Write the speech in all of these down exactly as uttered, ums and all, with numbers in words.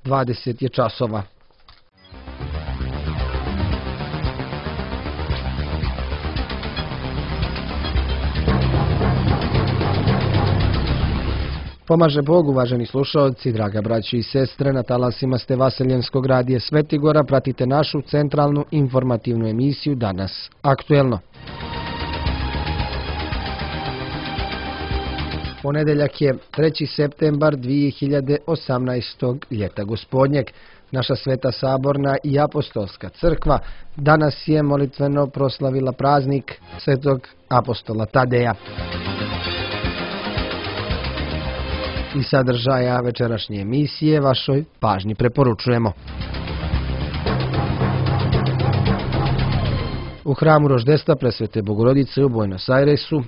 dvadeset je časova. Pomaže Bog, uvaženi slušaoci, draga braći i sestre, na talasima ste Vaseljenskog radija Svetigora, pratite našu centralnu informativnu emisiju Danas aktuelno. Ponedeljak je treći septembar dvije hiljade osamnaestog ljeta gospodnjeg. Naša Sveta Saborna i Apostolska crkva danas je molitveno proslavila praznik Svetog apostola Tadeja. I sadržaja večerašnje emisije vašoj pažnji preporučujemo. U hramu Roždestva Presvete Bogorodice u Buenos Airesu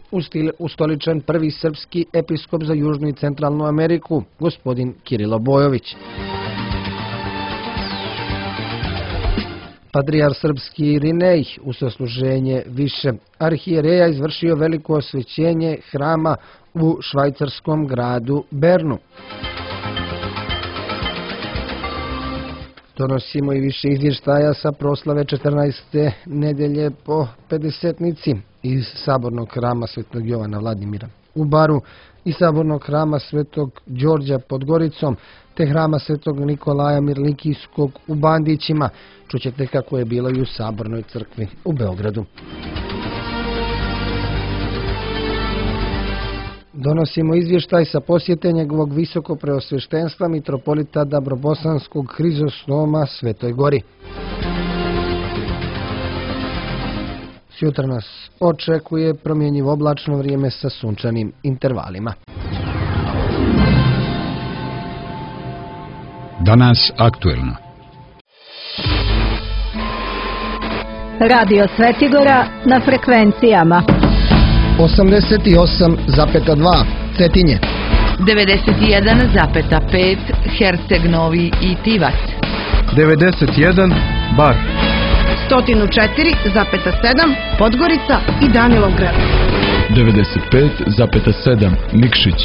ustoličen prvi srpski episkop za Južnu i Centralnu Ameriku, gospodin Kirilo Bojović. Patrijar srpski Irinej u sasluženje više arhijereja izvršio veliko osvećenje hrama u švajcarskom gradu Bernu. Donosimo i više izvještaja sa proslave četrnaeste nedelje po pedesetnici iz Sabornog hrama Svetog Jovana Vladimira u Baru i Sabornog hrama Svetog Đorđa pod Goricom, te hrama Svetog Nikolaja Mirlikijskog u Bandićima. Čućete kako je bilo i u Sabornoj crkvi u Beogradu. Donosimo izvještaj sa posjete njegovog visoko preosveštenstva mitropolita Dabrobosanskog Hrizostoma Svetoj Gori. Sutra nas očekuje promjenjivo oblačno vrijeme sa sunčanim intervalima. Danas aktuelno. Radio Svetigora na frekvencijama osamdeset osam zarez dva Cetinje, devedeset jedan zarez pet Herceg Novi i Tivac, devedeset jedan Bar, sto četiri zarez sedam Podgorica i Danilovgrad, devedeset pet zarez sedam Nikšić,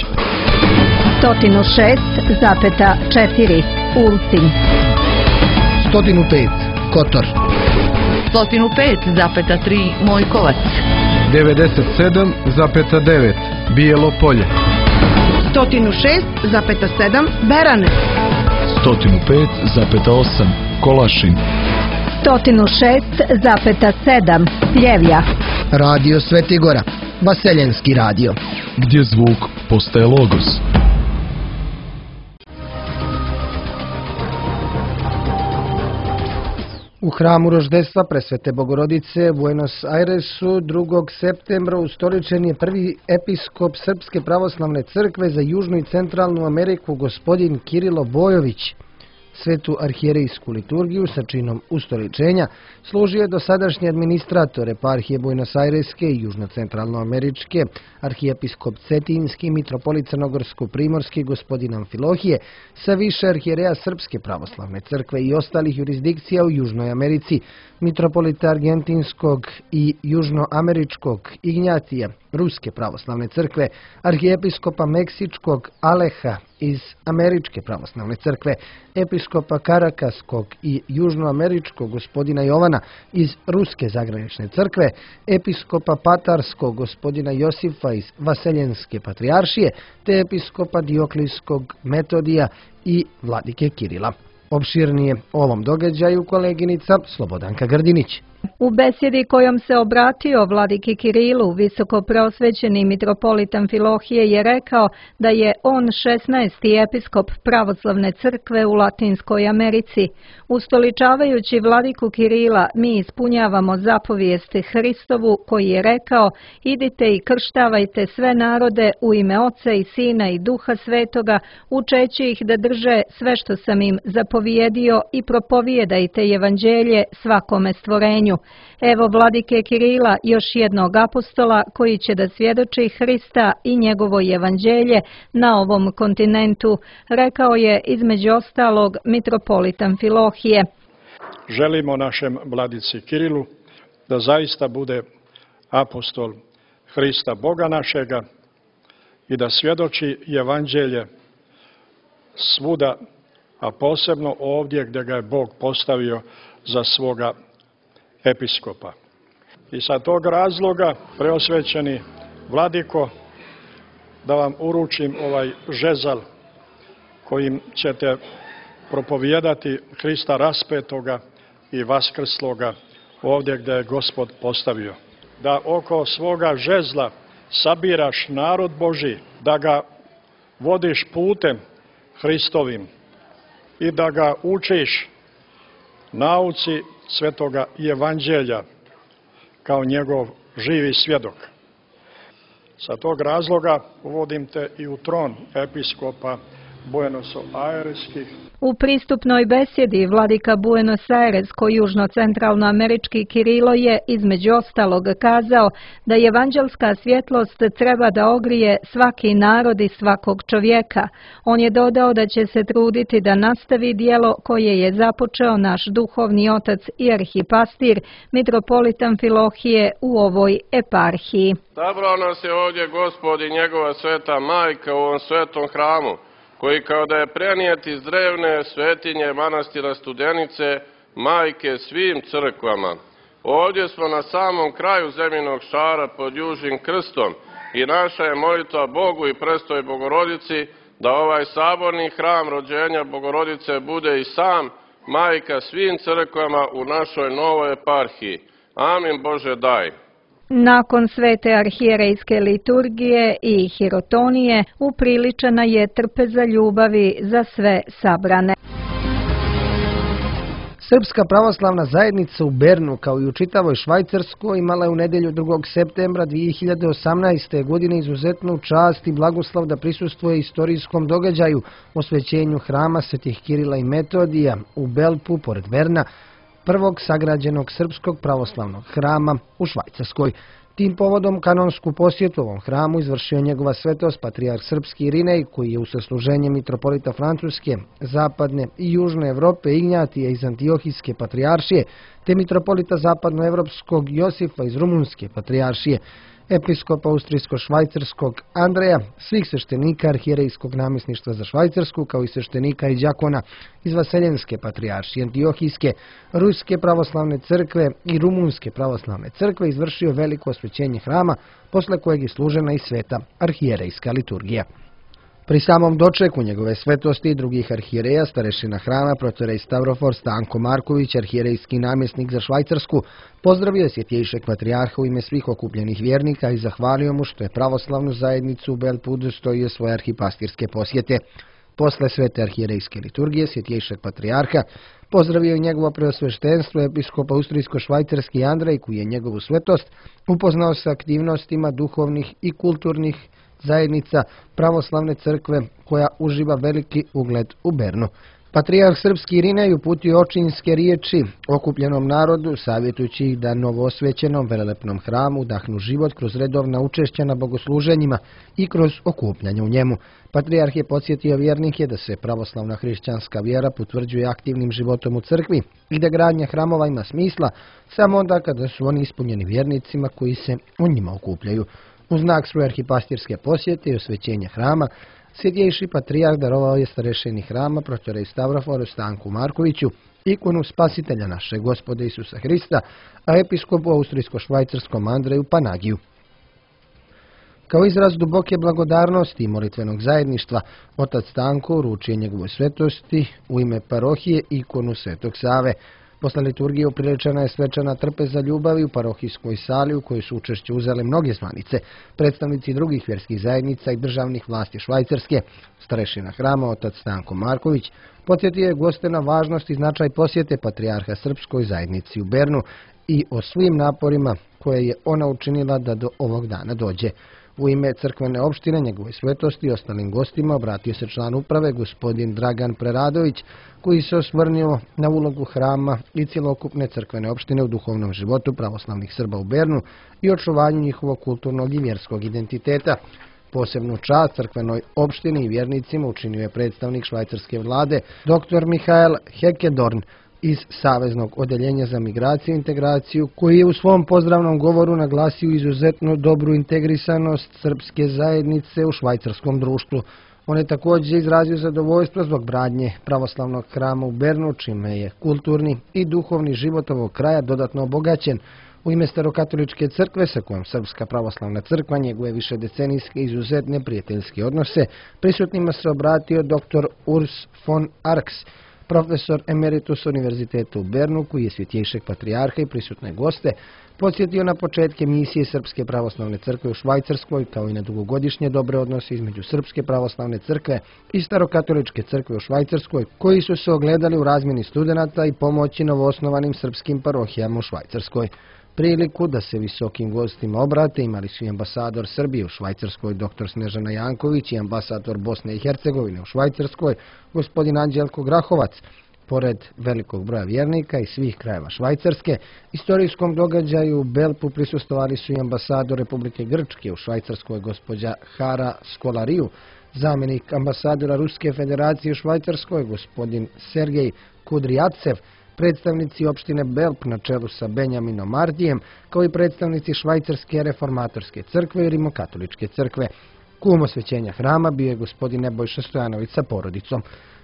sto šest zarez četiri Ulcinj, sto pet Kotor, sto pet zarez tri Mojkovac, devedeset sedam zarez devet Bijelo Polje, sto šest zarez sedam Berane, sto pet zarez osam Kolašin, sto šest zarez sedam Pljevlja. Radio Svetigora, Vaseljenski radio, gdje zvuk postaje logos. U hramu Roždestva Presvete Bogorodice u Buenos Airesu drugog septembra ustoličen je prvi episkop Srpske pravoslavne crkve za Južnu i Centralnu Ameriku, gospodin Kirilo Bojović. Svetu arhijerejsku liturgiju sa činom ustoličenja služio je dosadašnji administrator eparhije Buenos Aireske i Južno-Centralnoameričke, arhijepiskop Cetinski, mitropolit Crnogorsko-primorski gospodin Amfilohije, sa više arhijereja Srpske pravoslavne crkve i ostalih jurisdikcija u Južnoj Americi, mitropolita Argentinskog i Južnoameričkog Ignjatija, Ruske pravoslavne crkve, arhijepiskopa Meksičkog Aleha iz Američke pravoslavne crkve, episkopa Karakaskog i Južnoameričkog gospodina Jovana iz Ruske zagranične crkve, episkopa Patarskog gospodina Josifa iz Vaseljenske patrijaršije, te episkopa Dioklijskog Metodija i vladike Kirila. Opširnije o ovom događaju koleginica Slobodanka Grdinić. U besjedi kojom se obratio vladiki Kirilu, visoko preosvećeni mitropolit Amfilohije je rekao da je on šesnaesti episkop pravoslavne crkve u Latinskoj Americi. Ustoličavajući vladiku Kirila, mi ispunjavamo zapovijest Hristovu koji je rekao: idite i krštavajte sve narode u ime Oca i Sina i Duha Svetoga, učeći ih da drže sve što sam im zapovijedio i propovijedajte evanđelje svakome stvorenju. Evo vladike Kirila, još jednog apostola koji će da svjedoči Hrista i njegovo evanđelje na ovom kontinentu, rekao je između ostalog mitropolit Amfilohije. Želimo našem vladici Kirilu da zaista bude apostol Hrista Boga našega i da svjedoči evanđelje svuda, a posebno ovdje gdje ga je Bog postavio za svoga episkopa. I sa tog razloga, preosvećeni vladiko, da vam uručim ovaj žezal kojim ćete propovijedati Hrista raspetoga i vaskrsloga ovdje gdje je Gospod postavio. Da oko svoga žezla sabiraš narod Božji, da ga vodiš putem Hristovim i da ga učiš nauci svetoga evanđelja kao njegov živi svjedok. Sa tog razloga uvodim te i u tron episkopa Buenos Aireskih. U pristupnoj besjedi vladika Buenos Airesko-južno-centralnoamerički Kirilo je između ostalog kazao da evanđelska svjetlost treba da ogrije svaki narod i svakog čovjeka. On je dodao da će se truditi da nastavi dijelo koje je započeo naš duhovni otac i arhipastir, mitropolit Amfilohije u ovoj eparhiji. Sabrao nas je ovdje Gospod i njegova sveta majka u ovom svetom hramu, koji kao da je prenijet iz drevne svetinje manastira Studenice, majke svim crkvama. Ovdje smo na samom kraju zemljinog šara pod južnim krstom i naša je molitva Bogu i prestoj Bogorodici da ovaj saborni hram rođenja Bogorodice bude i sam majka svim crkvama u našoj novoj eparhiji. Amin Bože daj. Nakon svete arhijerejske liturgije i hirotonije upriličena je trpeza ljubavi za sve sabrane. Srpska pravoslavna zajednica u Bernu, kao i u čitavoj Švajcarskoj, imala je u nedjelju drugog septembra dvije hiljade osamnaeste. godine izuzetnu čast i blagoslov da prisustvuje istorijskom događaju osvećenju hrama svetih Kirila i Metodija u Belpu, pored Berna, prvog sagrađenog srpskog pravoslavnog hrama u Švajcarskoj. Tim povodom kanonsku posjetu ovom hramu izvršio njegova svetost patrijarh srpski Irinej, koji je u sasluženje mitropolita Francuske, zapadne i južne Evrope Ignjatija iz Antiohijske patrijaršije, te mitropolita zapadnoevropskog Josifa iz Rumunske patrijaršije, episkopa austrijsko-švajcarskog Andreja, svih sveštenika arhijerejskog namjesništva za Švajcarsku, kao i sveštenika i đakona iz Vaseljenske patrijaršije, Antiohijske, Ruske pravoslavne crkve i Rumunske pravoslavne crkve, izvršio veliko osvećenje hrama, posle kojeg je služena i sveta arhijerejska liturgija. Pri samom dočeku njegove svetosti i drugih arhijereja, starešina hrama, protorej Stavrofor Stanko Marković, arhijerejski namjesnik za Švajcarsku, pozdravio je svjetjejšeg patrijarha u ime svih okupljenih vjernika i zahvalio mu što je pravoslavnu zajednicu u Belpu udostojio svoje arhipastirske posjete. Posle svete arhijerejske liturgije, svjetjejšeg patrijarha pozdravio je njegovo preosveštenstvo episkopa austrijsko-švajcarski Andrej, koji je njegovu svetost upoznao sa aktivnostima duhovnih i kulturnih zajednica pravoslavne crkve koja uživa veliki ugled u Bernu. Patrijarh srpski Irinej uputio očinske riječi okupljenom narodu, savjetujući ih da novoosvećenom velelepnom hramu udahnu život kroz redovna učešća na bogosluženjima i kroz okupljanje u njemu. Patrijarh je podsjetio vjernike da se pravoslavna hrišćanska vjera potvrđuje aktivnim životom u crkvi i da gradnja hramova ima smisla samo onda kada su oni ispunjeni vjernicima koji se u njima okupljaju. U znak svoje arhipastirske posjete i osvećenja hrama, svjetjejši patrijarh darovao je starešini hrama, protorej Stavroforu Stanku Markoviću, ikonu spasitelja našeg Gospoda Isusa Hrista, a episkopu austrijsko-švajcarskom Andreju Panagiju. Kao izraz duboke blagodarnosti i molitvenog zajedništva, otac Stanko uručio njegovoj svetosti u ime parohije ikonu Svetog Save. Posle liturgije upriličena je svečana trpeza ljubavi u parohijskoj sali u kojoj su učešće uzele mnoge zvanice, predstavnici drugih vjerskih zajednica i državnih vlasti Švajcarske. Starešina hrama, otac Stanko Marković, podsjetio je goste na važnost i značaj posjete patrijarha srpskoj zajednici u Bernu i o svim naporima koje je ona učinila da do ovog dana dođe. U ime crkvene opštine njegove svetosti i ostalim gostima obratio se član uprave gospodin Dragan Preradović, koji se osvrnuo na ulogu hrama i cjelokupne crkvene opštine u duhovnom životu pravoslavnih Srba u Bernu i očuvanju njihovog kulturnog i vjerskog identiteta. Posebnu čast crkvenoj opštini i vjernicima učinio je predstavnik švajcarske vlade dr Mihael Hekedorn iz Saveznog odeljenja za migraciju i integraciju, koji je u svom pozdravnom govoru naglasio izuzetno dobru integrisanost srpske zajednice u švajcarskom društvu. On je također izrazio zadovoljstvo zbog gradnje pravoslavnog hrama u Bernu, čime je kulturni i duhovni život ovog kraja dodatno obogaćen. U ime Starokatoličke crkve, sa kojom Srpska pravoslavna crkva njeguje višedecenijske izuzetne prijateljske odnose, prisutnima se obratio dr. Urs von Arx, profesor emeritus Univerziteta u Bernu, koji je svjetjejšeg patrijarha i prisutne goste podsjetio na početke misije Srpske pravoslavne crkve u Švajcarskoj, kao i na dugogodišnje dobre odnose između Srpske pravoslavne crkve i Starokatoličke crkve u Švajcarskoj, koji su se ogledali u razmjeni studenata i pomoći novoosnovanim srpskim parohijama u Švajcarskoj. Priliku da se visokim gostima obrate imali su i ambasador Srbije u Švajcarskoj dr. Snežana Janković i ambasador Bosne i Hercegovine u Švajcarskoj gospodin Anđelko Grahovac. Pored velikog broja vjernika iz svih krajeva Švajcarske, istorijskom događaju u Belpu prisustvovali su i ambasador Republike Grčke u Švajcarskoj gospođa Hara Skolariju, zamjenik ambasadora Ruske federacije u Švajcarskoj gospodin Sergej Kudrijacev, predstavnici opštine Belp na čelu sa Benjaminom Mardijem, kao i predstavnici Švajcarske reformatorske crkve i Rimokatoličke crkve. Kum osvećenja hrama bio je gospodin Nebojša Stojanović sa porodicom.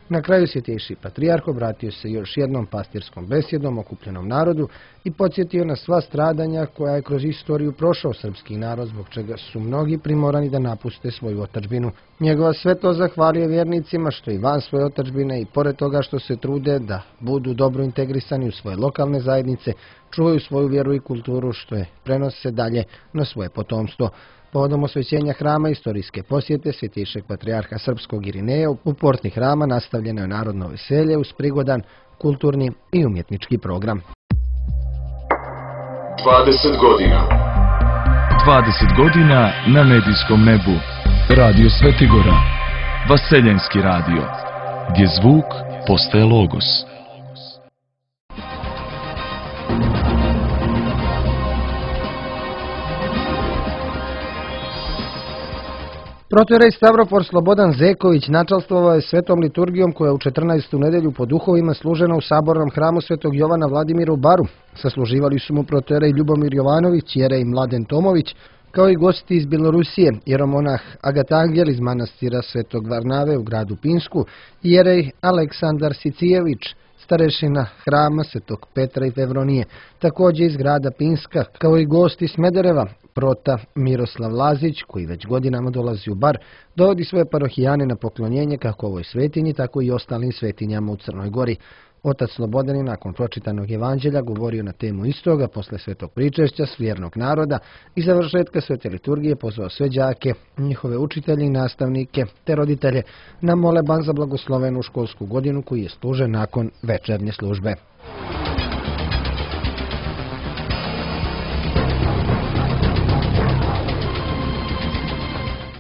Na kraju svjetejši patrijarh obratio se još jednom pastirskom besjedom okupljenom narodu i podsjetio na sva stradanja koja je kroz istoriju prošao srpski narod, zbog čega su mnogi primorani da napuste svoju otadžbinu. Njegova svetost zahvalio vjernicima što i van svoje otadžbine i pored toga što se trude da budu dobro integrisani u svoje lokalne zajednice, čuvaju svoju vjeru i kulturu, što je prenose dalje na svoje potomstvo. Povodom osvećenja hrama istorijske posjete svjetejšeg patrijarha Srpskog Irineja u porti hrama nastavljeno je narodno veselje uz prigodan kulturni i umjetnički program. dvadeset godina. dvadeset godina na medijskom nebu. Radio Svetigora. Vaseljenski radio. Gdje zvuk postaje logos. Protoijerej Stavrofor Slobodan Zeković načalstvovao je svetom liturgijom koja je u četrnaestu nedelju po duhovima služena u sabornom hramu Svetog Jovana Vladimira u Baru. Sasluživali su mu protoijerej Ljubomir Jovanović, jerej Mladen Tomović, kao i gosti iz Bjelorusije, jeromonah Agatangel iz manastira Svetog Varnave u gradu Pinsku i jerej Aleksandar Sicijević, starešina hrama Svetog Petra i Fevronije, također iz grada Pinska, kao i gosti iz Smedereva. Prota Miroslav Lazić, koji već godinama dolazi u Bar, dovodi svoje parohijane na poklonjenje kako ovoj svetinji, tako i ostalim svetinjama u Crnoj Gori. Otac Slobodan je nakon pročitanog evanđelja govorio na temu istoga posle svetog pričešća svjernog naroda i završetka svete liturgije pozvao sve đake, njihove učitelje i nastavnike te roditelje na moleban za blagoslovenu školsku godinu koji je služen nakon večernje službe.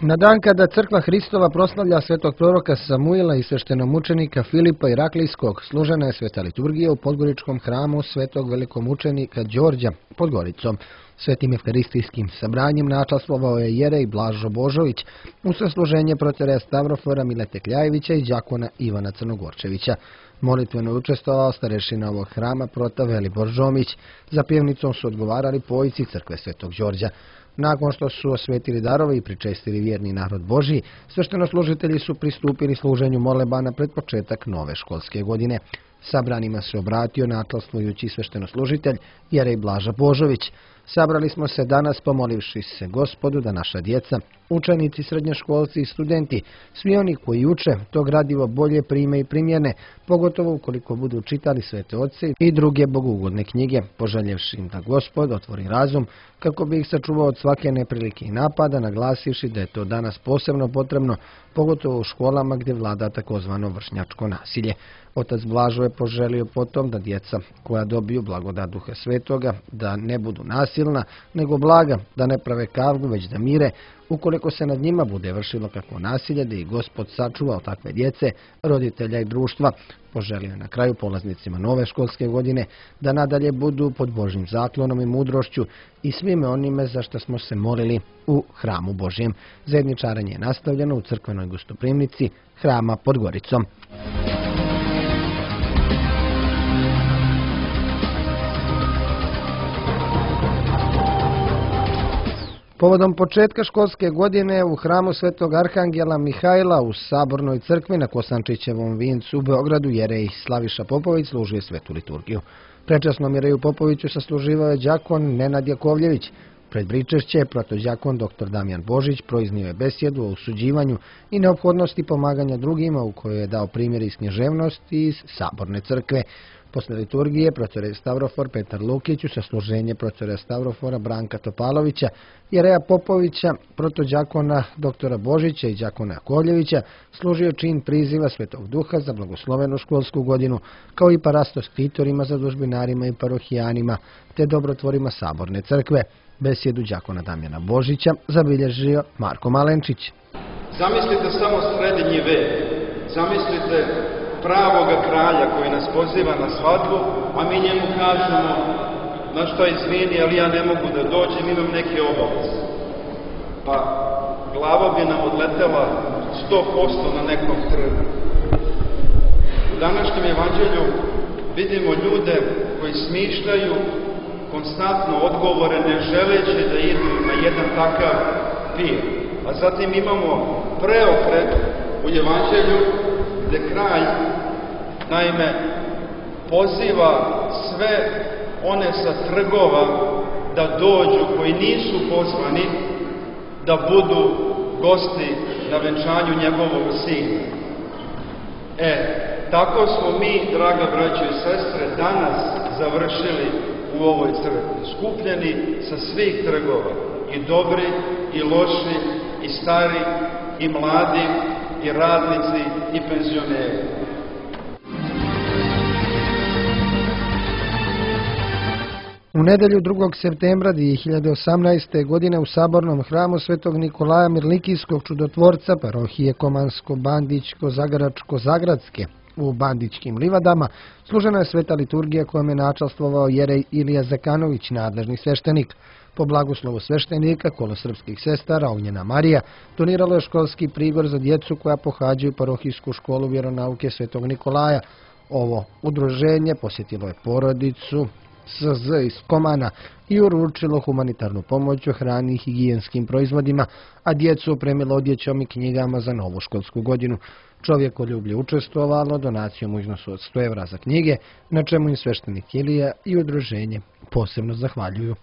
Na dan kada crkva Hristova proslavlja svetog proroka Samuila i sveštenomučenika Filipa Iraklijskog, služena je sveta liturgija u Podgoričkom hramu svetog velikomučenika Đorđa pod Goricom. Svetim evkaristijskim sabranjem načastvovao je jerej Blažo Božović u sasluženje protoijereja Stavrofora Milete Kljajevića i đakona Ivana Crnogorčevića. Molitveno je učestvovao starešina ovog hrama prota Velibor Žomić. Za pjevnicom su odgovarali pojici crkve Svetog Đorđa. Nakon što su osvetili darove i pričestili vjerni narod Božji, sveštenoslужitelji su pristupili služenju molebana pred početak nove školske godine. Sabranima se obratio načalstvujući sveštenoslужitelj jerej Blaža Božović. Sabrali smo se danas pomolivši se Gospodu da naša djeca, učenici, srednjoškolci i studenti, svi oni koji uče, to gradivo bolje prime i primjene, pogotovo ukoliko budu čitali svete otce i druge bogugodne knjige, poželjevši im da Gospod otvori razum kako bi ih sačuvao od svake neprilike i napada, naglasivši da je to danas posebno potrebno, pogotovo u školama gdje vlada takozvano vršnjačko nasilje. Otac Blažo je poželio potom da djeca koja dobiju blagodat Duha Svetoga, da ne budu nasilna, nego blaga, da ne prave kavgu, već da mire, ukoliko se nad njima bude vršilo kakvo nasilje, da ih Gospod sačuva od takve djece, roditelja i društva. Poželio je na kraju polaznicima nove školske godine da nadalje budu pod Božjim zaklonom i mudrošću i svime onime za što smo se molili u hramu Božjem. Zajedničarenje je nastavljeno u crkvenoj gostoprimnici hrama pod Goricom. Povodom početka školske godine u hramu Svetog Arhangela Mihajla u Sabornoj crkvi na Kosančićevom vincu u Beogradu jerej Slaviša Popović služio svetu liturgiju. Prečasnom jereju Popoviću sasluživao je đakon Nenad Jakovljević. Pred pričešće protođakon doktor Damjan Božić proiznio je besjedu o osuđivanju i neophodnosti pomaganja drugima u kojoj je dao primjer iz književnosti iz Saborne crkve. Posle liturgije protor Stavrofor Petar Lukić u sasluženje protora Stavrofora Branka Topalovića, jereja Popovića, protođakona doktora Božića i đakona Jakovljevića služio čin priziva Svetog Duha za blagoslovenu školsku godinu, kao i parastos ktitorima, zadužbinarima i parohijanima, te dobrotvorima Saborne crkve. Besjedu đakona Damjana Božića zabilježio Marko Malenčić. Zamislite samo srednji vek, zamislite pravoga kralja koji nas poziva na svadbu, a mi njemu kažemo, na što izvini, ali ja ne mogu da dođem, imam neke obaveze. Pa glava bi nam odletela sto posto na nekom trgu. U današnjem evanđelju vidimo ljude koji smišljaju konstantno odgovore, ne želeći da idu na jedan takav pir. A zatim imamo preokret u evanđelju gde kralj, naime, poziva sve one sa trgova da dođu, koji nisu pozvani, da budu gosti na venčanju njegovog sina. E, tako smo mi, draga braćo i sestre, danas završili u ovoj crkvi, skupljeni sa svih trgova, i dobri, i loši, i stari, i mladi, i radnici, i penzioneri. U nedelju drugog septembra dvije hiljade osamnaeste. godine u Sabornom hramu Svetog Nikolaja Mirlikijskog čudotvorca parohije Komansko-Bandićko-Zagaračko-Zagradske u Bandićkim livadama služena je sveta liturgija kojom je načastvovao jerej Ilija Zekanović, nadležni sveštenik. Po blagoslovu sveštenika kolo srpskih sestara Ognjena Marija doniralo je školski prigor za djecu koja pohađaju parohijsku školu vjeronauke Svetog Nikolaja. Ovo udruženje posjetilo je porodicu S Z iz Komana i uručilo humanitarnu pomoć u hrani i higijenskim proizvodima, a djecu opremilo odjećom i knjigama za novu školsku godinu. Čovjekoljublje učestvovalo donacijom u iznosu od sto evra za knjige, na čemu im sveštenik Ilija i udruženje posebno zahvaljuju.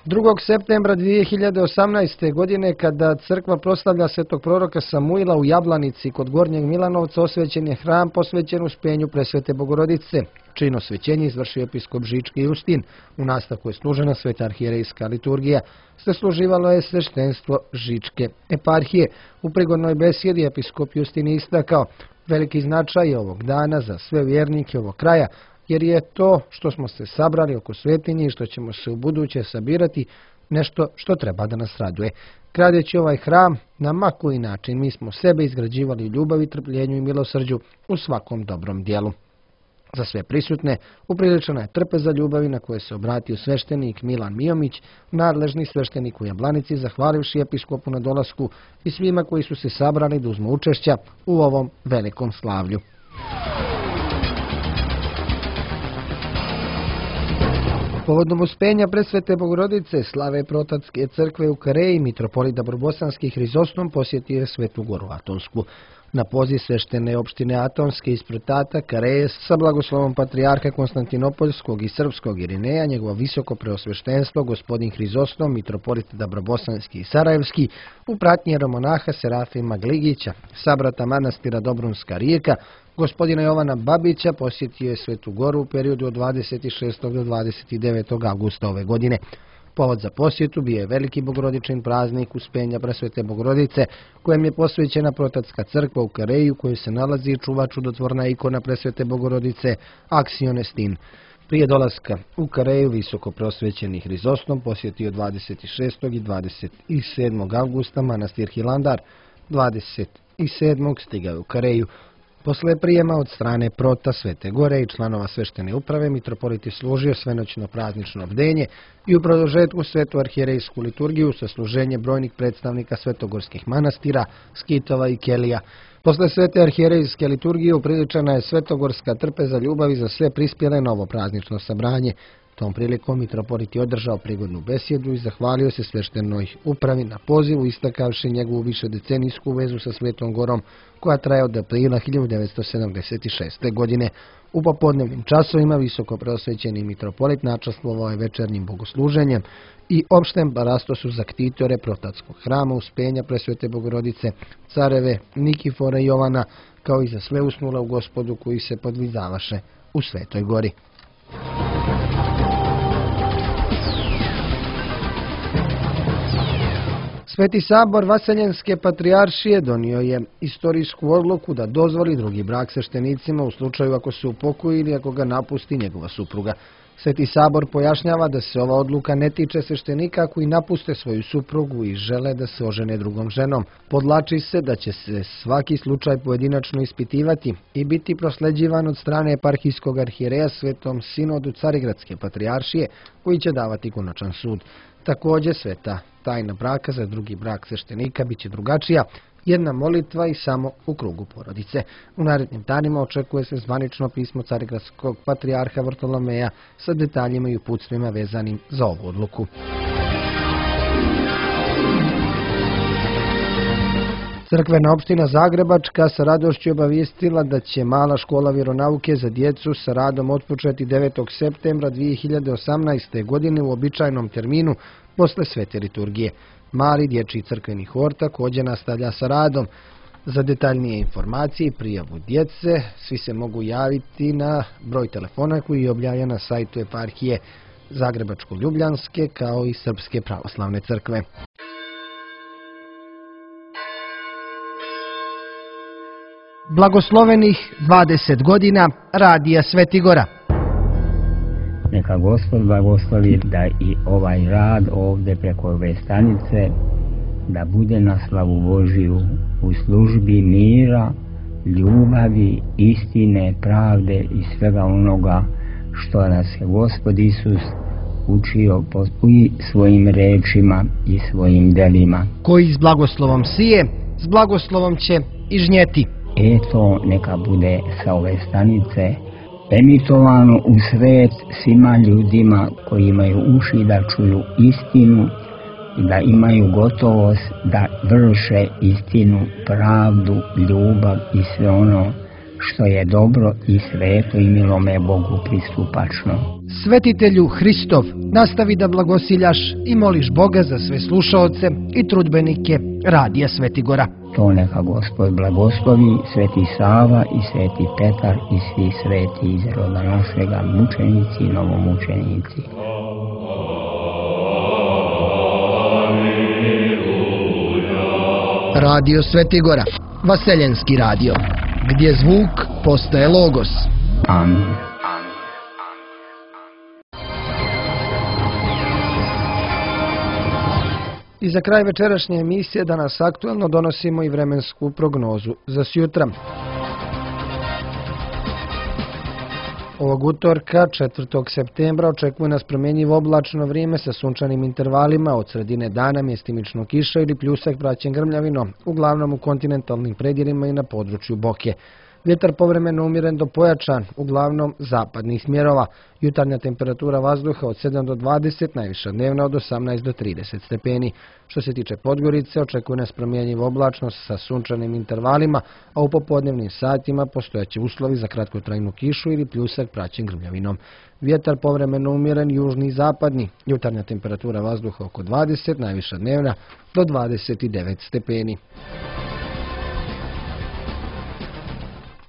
drugog septembra dvije hiljade osamnaeste. godine, kada crkva proslavlja svetog proroka Samuila u Jablanici kod Gornjeg Milanovca, osvećen je hram posvećen Uspenju Presvete Bogorodice. Čin osvećenja izvršio episkop Žički Justin. U nastavku je služena sveta arhijerejska liturgija. Sasluživalo je sveštenstvo Žičke eparhije. U prigodnoj besjedi episkop Justin istakao veliki značaj ovog dana za sve vjernike ovog kraja, jer je to što smo se sabrali oko svetinje i što ćemo se u buduće sabirati nešto što treba da nas raduje. Gradeći ovaj hram, na ma koji način mi smo sebe izgrađivali ljubavi, trpljenju i milosrđu u svakom dobrom dijelu. Za sve prisutne upriličena je trpeza ljubavi na koje se obratio sveštenik Milan Mijomić, nadležni sveštenik u Jablanici, zahvalivši episkopu na dolasku i svima koji su se sabrali da uzmu učešća u ovom velikom slavlju. Povodom uspenja Presvete Bogorodice slave Protatske crkve u Kareji, mitropolit Dabrobosanski Hrizostom posjetio je Svetu Goru Atonsku. Na poziv sveštene opštine Atonske iz Protata Kareje sa blagoslovom patrijarha Konstantinopoljskog i Srpskog Irineja, njegovo visoko preosveštenstvo gospodin Hrizostom, mitropolit Dabrobosanski i Sarajevski, u pratnji jeromonaha Serafima Gligića, sabrata manastira Dobrunska Rijeka, gospodina Jovana Babića, posjetio je Svetu Goru u periodu od dvadeset šestog do dvadeset devetog avgusta ove godine. Povod za posjetu bio je veliki bogorodičin praznik Uspenja Presvete Bogorodice, kojem je posvećena Protatska crkva u Kareji, u kojoj se nalazi i čuva čudotvorna ikona Presvete Bogorodice Aksionestin. Prije dolaska u Kareju visoko prosvećeni Hrizostom posjetio dvadeset šestog i dvadeset sedmog avgusta manastir Hilandar. dvadeset sedmog stigao u Kareju. Posle prijema od strane prota Svete Gore i članova sveštene uprave, mitropolit je služio svenoćno praznično bdenje i u produžetku svetu arhijerejsku liturgiju sa služenje brojnih predstavnika svetogorskih manastira, skitova i kelija. Posle svete arhijerejske liturgije upriličena je svetogorska trpeza ljubavi za sve prispjele na ovo praznično sabranje. Tom prilikom mitropolit je održao prigodnu besjedu i zahvalio se sveštenoj upravi na pozivu, istakavši njegovu višedecenijsku vezu sa Svetom Gorom, koja traje od aprila hiljadu devetsto sedamdeset šeste. godine. U popodnevnim časovima visoko preosvećeni mitropolit načastvovao je večernjim bogosluženjem i opštem parastosu za ktitore protatskog hrama Uspenja Presvete Bogorodice, careve Nikifora i Jovana, kao i za sve usnule u Gospodu koji se podvizavaše u Svetoj Gori. Sveti sabor Vaseljenske patrijaršije donio je istorijsku odluku da dozvoli drugi brak sveštenicima u slučaju ako se upokoji ili ako ga napusti njegova supruga. Sveti sabor pojašnjava da se ova odluka ne tiče sveštenika koji napuste svoju suprugu i žele da se ožene drugom ženom. Podlači se da će se svaki slučaj pojedinačno ispitivati i biti prosleđivan od strane eparhijskog arhijereja Svetom sinodu Carigradske patrijaršije, koji će davati konačan sud. Također sveta tajna braka za drugi brak sveštenika bit će drugačija, jedna molitva i samo u krugu porodice. U narednim danima očekuje se zvanično pismo Carigradskog patrijarha Vartolomeja sa detaljima i uputstvima vezanim za ovu odluku. Crkvena opština Zagrebačka sa radošću obavijestila da će mala škola vjeronauke za djecu sa radom otpočeti devetog septembra dvije hiljade osamnaeste. godine u običajnom terminu posle svete liturgije. Mali dječji crkveni hor također nastavlja sa radom. Za detaljnije informacije i prijavu djece svi se mogu javiti na broj telefona koji je objavljen na sajtu eparhije Zagrebačko-Ljubljanske kao i Srpske pravoslavne crkve. Blagoslovenih dvadeset godina Radija Svetigora. Neka Gospod blagoslovi da i ovaj rad ovdje preko ove stanice da bude na slavu Božiju u službi mira, ljubavi, istine, pravde i svega onoga što nas je Gospod Isus učio i svojim rečima i svojim delima. Koji s blagoslovom sije, s blagoslovom će i žnjeti. Eto, neka bude sa ove stanice emitovano u svet svima ljudima koji imaju uši da čuju istinu i da imaju gotovost da vrše istinu, pravdu, ljubav i sve ono što je dobro i sveto i milome Bogu pristupačno. Svetitelju Hristov, nastavi da blagosiljaš i moliš Boga za sve slušaoce i trudbenike Radija Svetigora. To neka Gospod blagoslovi, Sveti Sava i Sveti Petar i svi sveti iz roda našega, mučenici i novomučenici. Radio Svetigora, Vaseljenski radio, gdje zvuk postaje logos. Amin. I za kraj večerašnje emisije danas aktuelno donosimo i vremensku prognozu za sjutra. Ovog utorka, četvrtog septembra, očekuje nas promjenjivo oblačno vrijeme sa sunčanim intervalima, od sredine dana mjestimično kiša ili pljusak praćen grmljavinom, uglavnom u kontinentalnim predjelima i na području Boke. Vjetar povremeno umjeren do pojačan, uglavnom zapadnih smjerova. Jutarnja temperatura vazduha od sedam do dvadeset, najviša dnevna od osamnaest do trideset stepeni. Što se tiče Podgorice, očekuje nas promjenjivo oblačnost sa sunčanim intervalima, a u popodnevnim satima postojaće uslovi za kratkotrajnu kišu ili pljusak praćen grmljavinom. Vjetar povremeno umjeren južni i zapadni. Jutarnja temperatura vazduha oko dvadeset, najviša dnevna do dvadeset devet stepeni.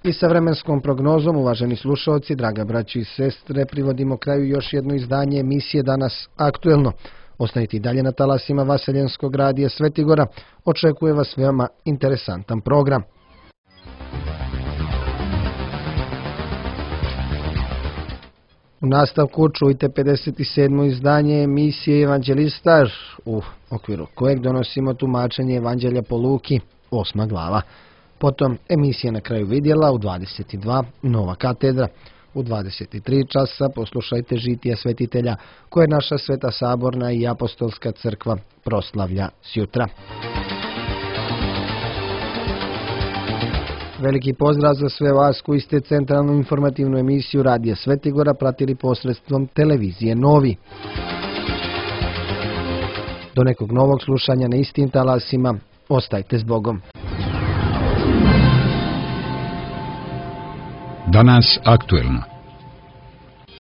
I sa vremenskom prognozom, uvaženi slušalci, draga braći i sestre, privodimo kraju još jedno izdanje emisije Danas aktuelno. Ostanite i dalje na talasima Vaseljenskog radija Svetigora. Očekuje vas veoma interesantan program. U nastavku čujte pedeset sedmo izdanje emisije Evanđelistar, u okviru kojeg donosimo tumačenje Evanđelja po Luki, osma glava. Potom emisija Na kraju vidjela u dvadeset dva Nova katedra. U dvadeset tri časa poslušajte žitija svetitelja koje naša Sveta saborna i apostolska crkva proslavlja sjutra. Veliki pozdrav za sve vas koji ste centralnu informativnu emisiju Radija Svetigora pratili posredstvom televizije Novi. Do nekog novog slušanja na istim talasima, ostajte s Bogom. Danas aktuelno.